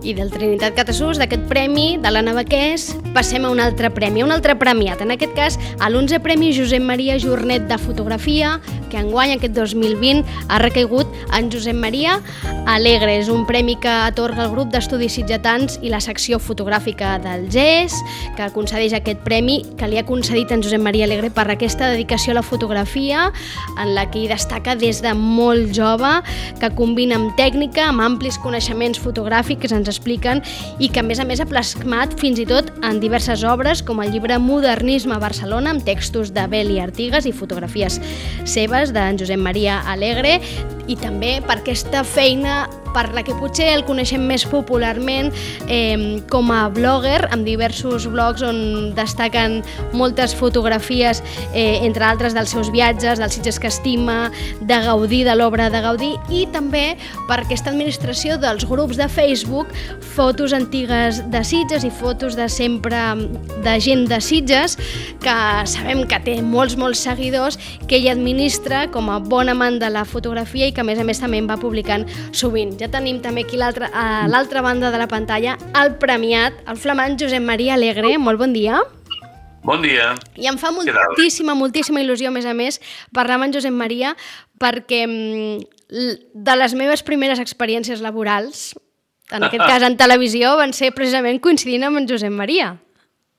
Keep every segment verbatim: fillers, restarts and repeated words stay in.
I del Trinitat Catasús, d'aquest premi de la Navaqués, passem a un altre premi, un altre premiat. En aquest cas, a l'onze Premi Josep Maria Jornet de Fotografia, que enguany, aquest dos mil vint, ha recaigut en Josep Maria Alegre. És un premi que atorga el grup d'estudis sitgetans i la secció fotogràfica del G E S, que concedeix aquest premi que li ha concedit en Josep Maria Alegre per aquesta dedicació a la fotografia, en la que hi destaca des de molt jove, que combina amb tècnica, amb amplis coneixements fotogràfics, ens expliquen, i que a més a més ha plasmat fins i tot en diverses obres, com el llibre Modernisme a Barcelona, amb textos de Beli Artigas i fotografies seves d'en Josep Maria Alegre, i també per aquesta feina per la que potser el coneixem més popularment eh, com a blogger, amb diversos blogs on destaquen moltes fotografies, eh, entre altres dels seus viatges, dels sitges que estima, de Gaudí, de l'obra de Gaudí, i també per aquesta administració dels grups de Facebook, fotos antigues de Sitges i fotos de sempre de gent de Sitges, que sabem que té molts, molts seguidors, que ell administra com a bon amant de la fotografia i que a més a més també en va publicant sovint. Ja tenim també aquí l'altra, a l'altra banda de la pantalla el premiat, el flamant Josep Maria Alegre. Molt bon dia. Bon dia. I em fa moltíssima, moltíssima il·lusió, a més a més, parlar amb en Josep Maria, perquè de les meves primeres experiències laborals, en aquest cas en televisió, van ser precisament coincidint amb en Josep Maria.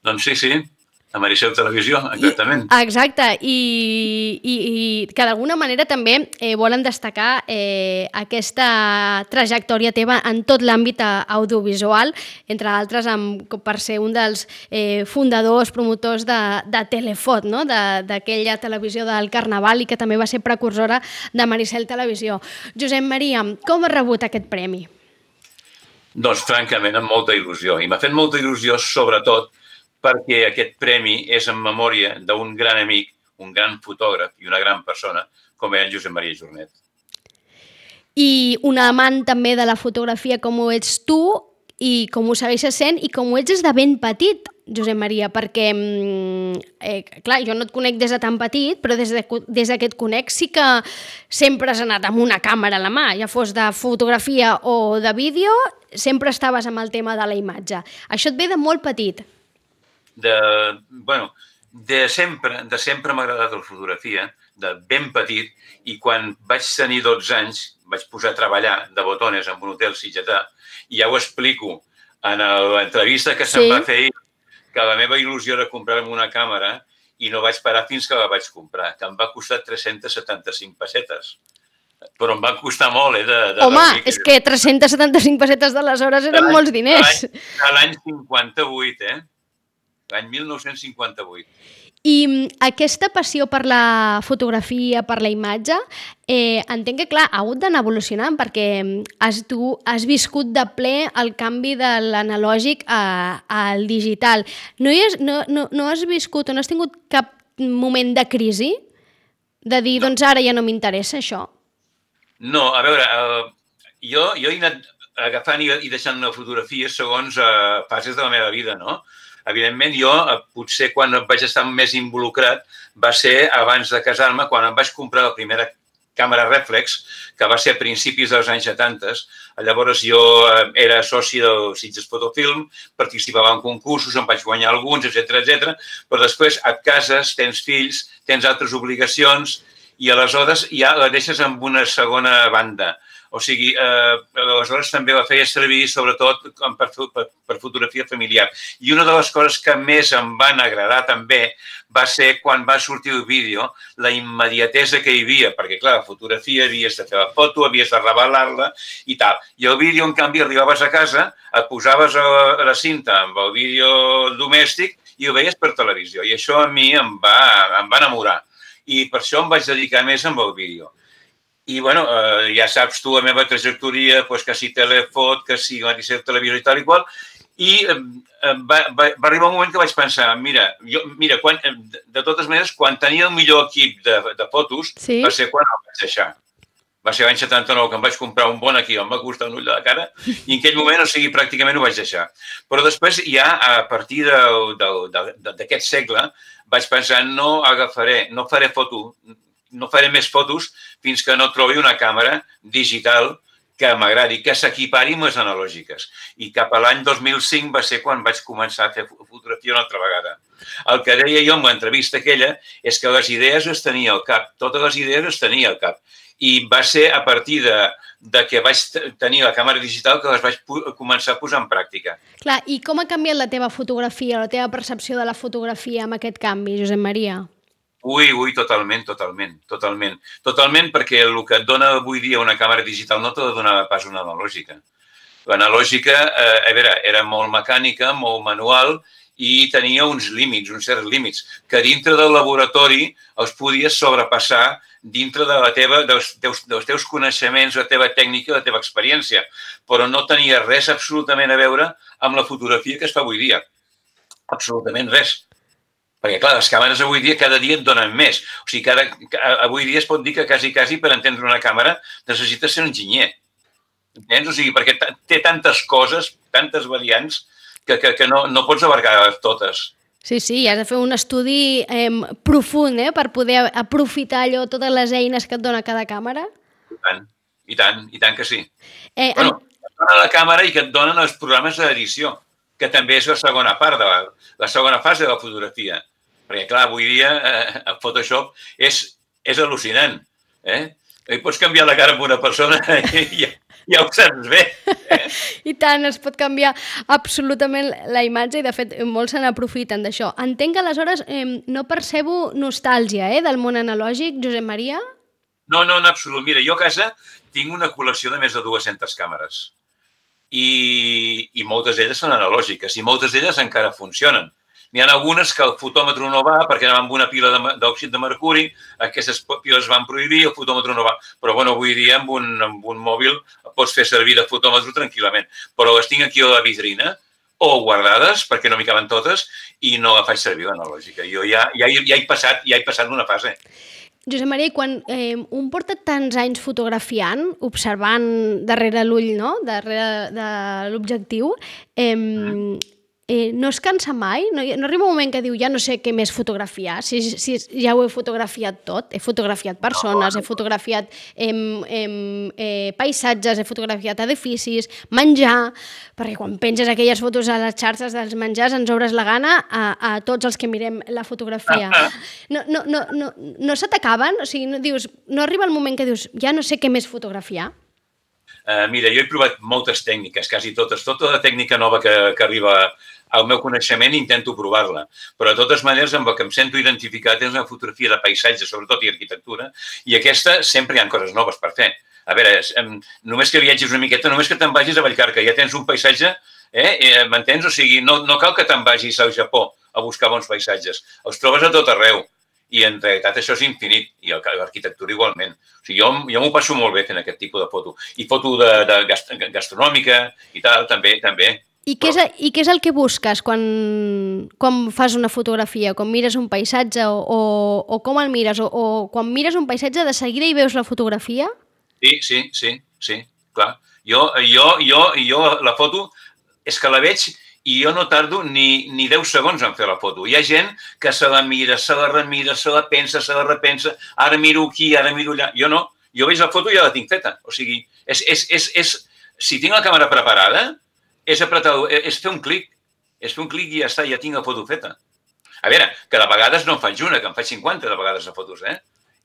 Doncs sí, sí. A Maricel Televisió, exactament. I, exacte, i, i, i que d'alguna manera també eh, volen destacar eh, aquesta trajectòria teva en tot l'àmbit audiovisual, entre altres amb, per ser un dels eh, fundadors, promotors de, de Telefot, no? D'aquella televisió del Carnaval, i que també va ser precursora de Maricel Televisió. Josep Maria, com has rebut aquest premi? Doncs francament amb molta il·lusió, i m'ha fet molta il·lusió sobretot perquè aquest premi és en memòria d'un gran amic, un gran fotògraf i una gran persona, com era en Josep Maria Jornet. I un amant també de la fotografia com ho ets tu, i com ho segueixes sent, i com ho ets des de ben petit, Josep Maria, perquè, eh, clar, jo no et conec des de tan petit, però des, de, des que et conec sí que sempre has anat amb una càmera a la mà, ja fos de fotografia o de vídeo, sempre estaves amb el tema de la imatge. Això et ve de molt petit. De, bueno, de sempre, de sempre m'ha agradat la fotografia, de ben petit, i quan vaig tenir dotze anys vaig posar a treballar de botones en un hotel sitgetà, i ja ho explico en l'entrevista que se'm sí. va fer, que la meva il·lusió era comprar-me una càmera i no vaig parar fins que la vaig comprar, que em va costar tres-centes setanta-cinc pessetes. Però em va costar molt, eh? De, de Home, és que tres-centes setanta-cinc pessetes d'aleshores eren molts diners. A l'any cinquanta-vuit, eh? L'any mil nou-cents cinquanta-vuit. I aquesta passió per la fotografia, per la imatge, eh, entenc que, clar, ha hagut d'anar evolucionant, perquè has, tu has viscut de ple el canvi de l'analògic al digital. No, has, no, no, no has viscut o no has tingut cap moment de crisi? De dir, no. Doncs ara ja no m'interessa això? No, a veure, uh, jo, jo he anat agafant i, i deixant una fotografia segons uh, fases de la meva vida, no? Evidentment, jo, potser quan vaig estar més involucrat, va ser abans de casar-me, quan em vaig comprar la primera càmera rèflex, que va ser a principis dels anys setanta. Llavors jo era soci del Sitges Fotofilm, participava en concursos, em vaig guanyar alguns, etcètera, etcètera. Però després et cases, tens fills, tens altres obligacions i aleshores ja la deixes en una segona banda. O sigui, eh, aleshores també la feia servir sobretot per, per, per fotografia familiar. I una de les coses que més em van agradar també va ser quan va sortir el vídeo, la immediatesa que hi havia, perquè clar, la fotografia havies de fer la foto, havies de revelar-la i tal. I el vídeo, en canvi, arribaves a casa, et posaves a la cinta amb el vídeo domèstic i ho veies per televisió. I això a mi em va, em va enamorar. I per això em vaig dedicar més amb el vídeo. I, bueno, eh, ja saps tu la meva trajectòria, pues, que si Telefot, que si Maricel Televisió i tal i qual, i eh, va, va, va arribar un moment que vaig pensar, mira, jo, mira quan, de totes maneres, quan tenia el millor equip de, de fotos, sí? Va ser quan el vaig deixar. Va ser l'any setanta-nou que em vaig comprar un bon equip, em va costar un ull de la cara, i en aquell moment, o sigui, pràcticament ho vaig deixar. Però després, ja a partir d'aquest segle, vaig pensar, no agafaré, no faré foto, no faré més fotos fins que no trobi una càmera digital que m'agradi, que s'equipari amb les analògiques. I cap a l'any dos mil cinc va ser quan vaig començar a fer fotografia una altra vegada. El que deia jo en l'entrevista aquella és que les idees les tenia al cap, totes les idees les tenia al cap. I va ser a partir de, de que vaig tenir la càmera digital que les vaig començar a posar en pràctica. Clar, i com ha canviat la teva fotografia, la teva percepció de la fotografia amb aquest canvi, Josep Maria? Ui, ui, totalment, totalment, totalment. Totalment perquè el que et dona avui dia una càmera digital no te la donava pas una analògica. L'analògica, eh, a veure, era molt mecànica, molt manual i tenia uns límits, uns certs límits, que dintre del laboratori els podies sobrepassar dintre de la teva, dels, teus, dels teus coneixements, la teva tècnica, la teva experiència, però no tenia res absolutament a veure amb la fotografia que es fa avui dia. Absolutament res. Perquè, clar, les càmeres avui dia cada dia et donen més. O sigui, cada, avui dia es pot dir que quasi, quasi per entendre una càmera necessites ser un enginyer. Entens? O sigui, perquè té tantes coses, tantes variants, que, que, que no, no pots abarcar totes. Sí, sí, has de fer un estudi eh, profund eh, per poder aprofitar allò, totes les eines que et dona cada càmera. I tant, i tant, i tant que sí. Eh, bueno, et dona la càmera i que et donen els programes d'edició, que també és la segona part, de la, la segona fase de la fotografia. Perquè, clar, avui dia eh, el Photoshop és, és al·lucinant. Eh? I pots canviar la cara amb una persona i ja, ja ho saps bé. Eh? I tant, es pot canviar absolutament la imatge i, de fet, molts se n'aprofiten d'això. Entenc que, aleshores, eh, no percebo nostàlgia eh, del món analògic, Josep Maria? No, no, en absolut. Mira, jo a casa tinc una col·lecció de més de dues-centes càmeres. I, i moltes d'elles són analògiques i moltes d'elles encara funcionen. N'hi ha algunes que el fotòmetre no va perquè anaven amb una pila d'òxid de mercuri, aquestes piles van prohibir, el fotòmetre no va. Però, bueno, avui dia amb un, amb un mòbil pots fer servir de fotòmetre tranquil·lament. Però les tinc aquí a la vitrina o guardades, perquè no m'hi caben totes, i no la faig servir l'analògica. Jo ja, ja, ja, he passat, ja he passat una fase. Josep Maria, quan eh, un porta tants anys fotografiant, observant darrere l'ull, no?, darrere de l'objectiu, eh, mm. Eh, no es cansa mai? No, no arriba un moment que diu ja no sé què més fotografiar, si, si ja ho he fotografiat tot, he fotografiat persones, he fotografiat eh, eh, eh, paisatges, he fotografiat edificis, menjar, perquè quan penges aquelles fotos a les xarxes dels menjars ens obres la gana a, a tots els que mirem la fotografia. No, no, no, no, no se t'acaben? O sigui, no, dius, no arriba el moment que dius ja no sé què més fotografiar? Uh, mira, jo he provat moltes tècniques, quasi totes. Tota la tècnica nova que, que arriba al meu coneixement intento provar-la. Però, de totes maneres, amb el que em sento identificat és una fotografia de paisatge, sobretot, i arquitectura, i aquesta sempre hi ha coses noves per fer. A veure, només que viatgis una miqueta, només que te'n vagis a Vallcarca, ja tens un paisatge, eh? M'entens? O sigui, no, no cal que te'n vagis al Japó a buscar bons paisatges. Els trobes a tot arreu. I, en realitat, això és infinit. I l'arquitectura igualment. O sigui, jo, jo m'ho passo molt bé fent aquest tipus de foto. I foto de, de gastronòmica i tal, també, també. I què, és, I què és el que busques quan, quan fas una fotografia? Quan mires un paisatge o, o, o com el mires? O, o quan mires un paisatge de seguida i veus la fotografia? Sí, sí, sí, sí, clar. Jo, jo, jo, jo la foto és que la veig i jo no tardo ni, ni deu segons en fer la foto. Hi ha gent que se la mira, se la remira, se la pensa, se la repensa, ara miro aquí, ara miro allà. Jo no, jo veig la foto i ja la tinc feta. O sigui, és, és, és, és, si tinc la càmera preparada, és, apretar, és fer un clic, és fer un clic i ja està, ja tinc la foto feta. A veure, que de vegades no en faig una, que en faig cinquanta de vegades de fotos, eh?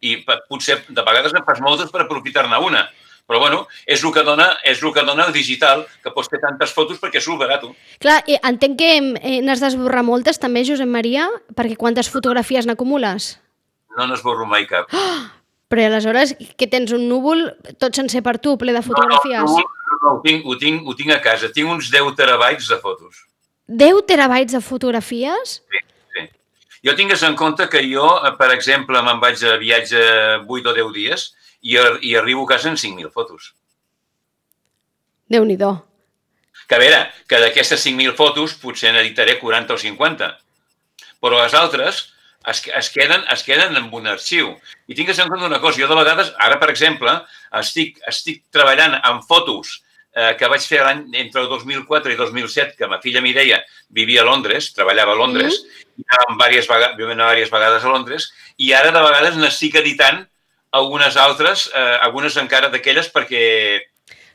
I potser de vegades en fas moltes per aprofitar-ne una. Però, bueno, és el que dona, és el que dona el digital, que pots fer tantes fotos perquè és barat. Clar, entenc que eh, n'has d'esborrar moltes també, Josep Maria, perquè quantes fotografies n'acumules? No n'esborro mai cap. Oh! Però aleshores, que tens un núvol tot sencer per tu, ple de fotografies? No, no, no, no ho, tinc, ho, tinc, ho tinc a casa. Tinc uns deu terabytes de fotos. deu terabytes de fotografies? Sí, sí. Jo tingues en compte que jo, per exemple, me'n vaig a viatge vuit o deu dies i, i arribo a casa amb cinc mil fotos. Déu-n'hi-do. Que a veure, que d'aquestes cinc mil fotos potser n'editaré quaranta o cinquanta. Però les altres es, es, queden, es queden en un arxiu. I tingues en compte una cosa, jo de vegades, ara per exemple, estic, estic treballant amb fotos eh, que vaig fer l'any entre el dos mil quatre i dos mil set, que ma filla Mireia vivia a Londres, treballava a Londres, mm. i anàvem diverses vegades, diverses vegades a Londres, i ara de vegades n'estic editant algunes altres, eh, algunes encara d'aquelles perquè...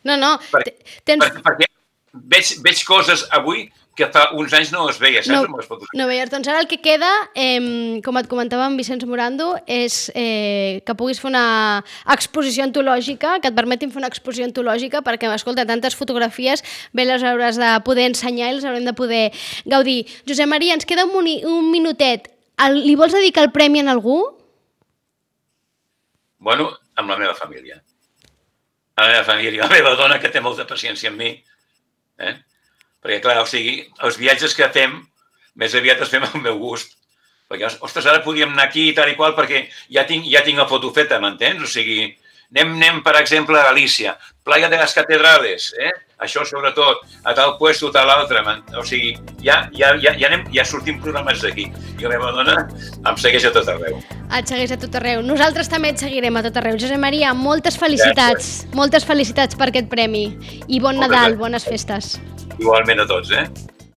No, no. Perquè, tens... perquè, perquè veig, veig coses avui que fa uns anys no es veia, saps? No, amb les fotografies. no veies. Doncs ara el que queda, eh, com et comentava amb Vicenç Morando, és eh, que puguis fer una exposició antològica, que et permetin fer una exposició antològica, perquè, escolta, tantes fotografies, bé les hauràs de poder ensenyar i les haurem de poder gaudir. Josep Maria, ens queda un, un minutet. El, li vols dedicar el premi a algú? Bueno, amb la meva família. A la meva família, la meva dona, que té molta paciència amb mi. Eh? Perquè, clar, o sigui, els viatges que fem, més aviat els fem al meu gust. Perquè, ostres, ara podíem anar aquí i tal i qual, perquè ja tinc, ja tinc la foto feta, m'entens? O sigui, anem, anem, per exemple, a Galícia, Playa de las Catedrales, eh? Això sobretot, a tal puesto, tal altre. O sigui, ja, ja, ja, ja, anem, ja sortim programats d'aquí. I la meva dona em segueix a tot arreu. Et segueix a tot arreu. Nosaltres també et seguirem a tot arreu. Josep Maria, moltes felicitats. Ja, moltes felicitats per aquest premi. I bon Moltes Nadal, gràcies. Bones festes. Igualment a tots, eh?